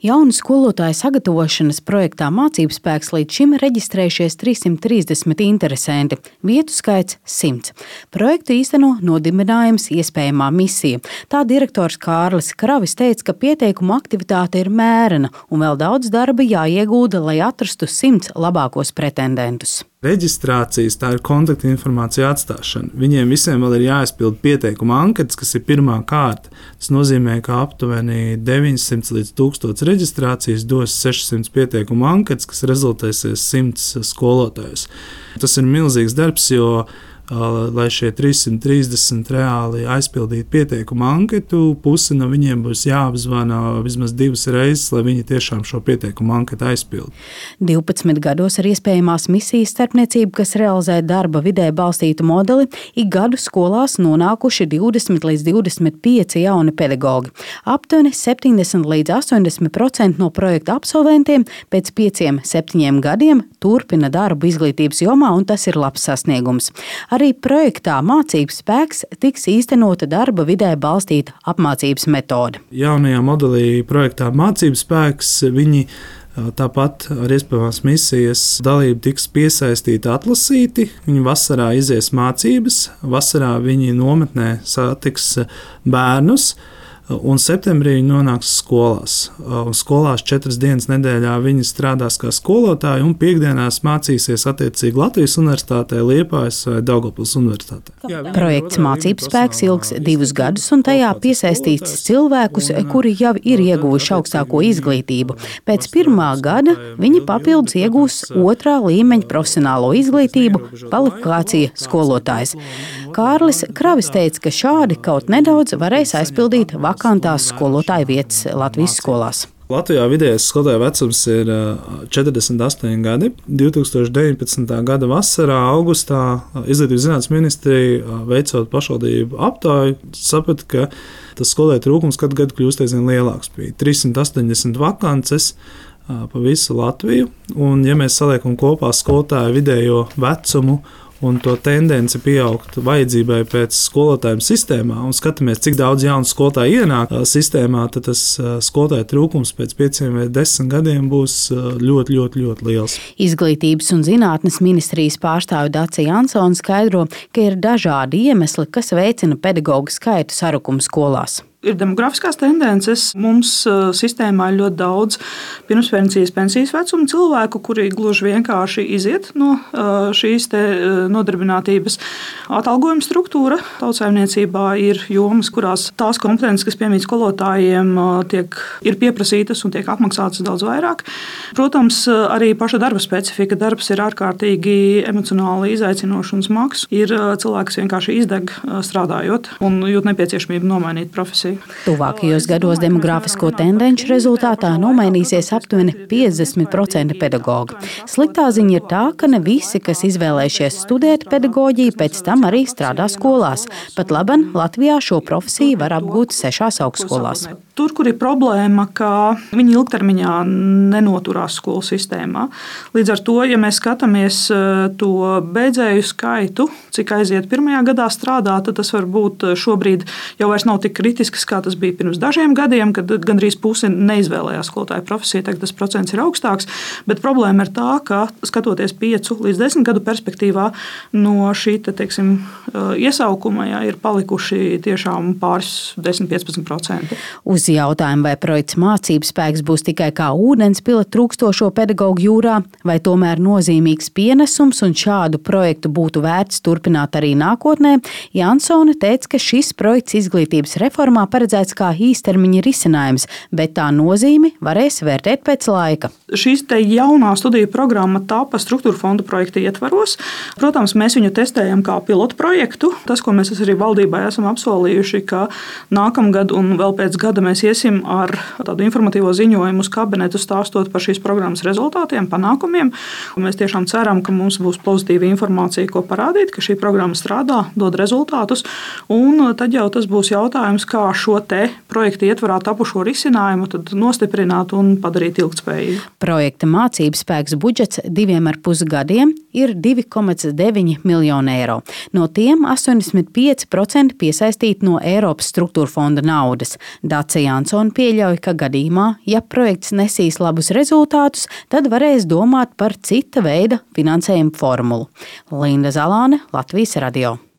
Jaunu skolotāju sagatavošanas projektā Mācību spēks līdz šim reģistrējušies 330 interesanti, vietu skaits 100. Projektu īsteno Nodibinājums iespējamā misija. Tā direktors Kārlis Kravis teica, ka pieteikumu aktivitāte ir mērena un vēl daudz darba jāiegūda, lai atrastu 100 labākos pretendentus. Reģistrācijas, tā ir kontaktinformācija atstāšana. Viņiem visiem vēl ir jāizpild pieteikuma anketas, kas ir pirmā kārta. Tas nozīmē, ka aptuveni 900 līdz 1000 reģistrācijas dos 600 pieteikuma anketas, kas rezultēsies 100 skolotājus. Tas ir milzīgs darbs, jo lai šie 330 reāli aizpildītu pieteikumu anketu, pusi no viņiem būs jāapzvana vismaz 2 reizes, lai viņi tiešām šo pieteikumu anketu aizpildu. 12 gados ar iespējamās misijas starpniecību, kas realizē darba vidē balstītu modeli, ik gadu skolās nonākuši 20 līdz 25 jauni pedagogi. Aptuveni 70 līdz 80% no projekta absolventiem pēc 5-7 gadiem turpina darbu izglītības jomā, un tas ir labs sasniegums. Arī projektā Mācību spēks tiks īstenota darba vidē balstīta apmācības metode. Jaunajā modelī projektā Mācību spēks viņi tāpat ar iespējamās misijas dalību tiks piesaistīti, atlasīti. Viņi vasarā izies mācības, vasarā viņi nometnē satiks bērnus. Un septembrī viņi nonāks skolās. Skolās 4 dienas nedēļā viņi strādās kā skolotāji un piekdienās mācīsies attiecīgi Latvijas Universitātē, Liepājas vai Daugavpils Universitātē. Projekts Mācību spēks ilgs 2 gadus un tajā piesaistīts cilvēkus, kuri jau ir ieguvuši augstāko izglītību. Pēc 1. gada viņi papildus iegūs 2. līmeņa profesionālo izglītību, kvalifikācija skolotājs. Kārlis Kravis teica, ka šādi kaut nedaudz varēs aizpildīt vakantās skolotāju vietas Latvijas skolās. Latvijā vidējais skolotāju vecums ir 48 gadi. 2019. gada vasarā, augustā Izglītības zinātnes ministrija, veicot pašvaldību aptauju, saprata, ka tas skolotāju trūkums katru gadu kļūst aizvien lielāks. Bija 380 vakances pa visu Latviju, un ja mēs saliekam kopā skolotāju vidējo vecumu un to tendenci pieaugt vajadzībai pēc skolotājiem sistēmā un skatāmies, cik daudz jaunu skolotāju ienāk sistēmā, tad tas skolotāju trūkums pēc 5 vai 10 gadiem būs ļoti, ļoti, ļoti liels. Izglītības un zinātnes ministrijas pārstāve Dace Jansone skaidro, ka ir dažādi iemesli, kas veicina pedagoģu skaitu sarukumu skolās. Ir demografiskās tendences. Mums sistēmā ir ļoti daudz pirmspensijas, pensijas vecuma cilvēku, kuri gluži vienkārši iziet no šīs nodarbinātības. Atalgojuma struktūra tautsaimniecībā ir jomas, kurās tās kompetences, kas piemīt skolotājiem, ir pieprasītas un tiek apmaksātas daudz vairāk. Protams, arī paša darba specifika. Darbs ir ārkārtīgi emocionāli izaicinošs un smags. Ir cilvēki, kas vienkārši izdeg strādājot un jūt nepieciešamību nomainīt profesiju. Tuvākajos gados demografisko tendenci rezultātā nomainīsies aptuveni 50% pedagoģi. Sliktā ziņa ir tā, ka ne visi, kas izvēlējušies studēt pedagoģiju, pēc tam arī strādā skolās. Pat laban Latvijā šo profesiju var apgūt 6 augstskolās. Tur, kur ir problēma, ka viņi ilgtermiņā nenoturās skolu sistēmā. Līdz ar to, ja mēs skatāmies to beidzēju skaitu, cik aiziet 1. gadā strādāt, tad tas varbūt šobrīd jau vairs nav tik kritisks, kā tas bija pirms dažiem gadiem, kad gandrīz pusi neizvēlējās skolotāju profesiju. Tagad tas procents ir augstāks, bet problēma ir tā, ka skatoties 5 līdz 10 gadu perspektīvā no šī iesaukuma ir palikuši tiešām pāris 10-15%. Uz jautājumu, vai projekts Mācību spēks būs tikai kā ūdenspile trūkstošo pedagoģu jūrā, vai tomēr nozīmīgs pienesums un šādu projektu būtu vērts turpināt arī nākotnē, Jansone teica, ka šis projekts izglītības reformā paredzēts kā īstermiņa risinājums, bet tā nozīmi varēs vērtēt pēc laika. Šīs jaunā studiju programma tapa struktūra fondu projekta ietvaros. Protams, mēs viņu testējam kā pilotu projektu. Tas, ko mēs arī valdībai esam apsolījuši, ka nākamgad un vēl pēc gada mēs iesim ar tādu informatīvo ziņojumu uz kabinetu stāstot par šīs programmas rezultātiem, panākumiem. Un mēs tiešām ceram, ka mums būs pozitīva informācija, ko parādīt, ka šī programma strādā, dod rezultātus. Un tad jau tas būs jautājums, kā šo te projekta ietvarā tapušo risinājumu tad nostiprināt un padarīt ilgtspējīgu. Projekta mācību spēks budžets 2,5 gadiem ir 2,9 miljoni eiro. No tiem 85% piesaistīti no Eiropas struktūra fonda naudas. Dace Jansone pieļauj, ka gadījumā, ja projekts nesīs labus rezultātus, tad varēs domāt par cita veida finansējuma formulu. Linda Zalāne, Latvijas radio.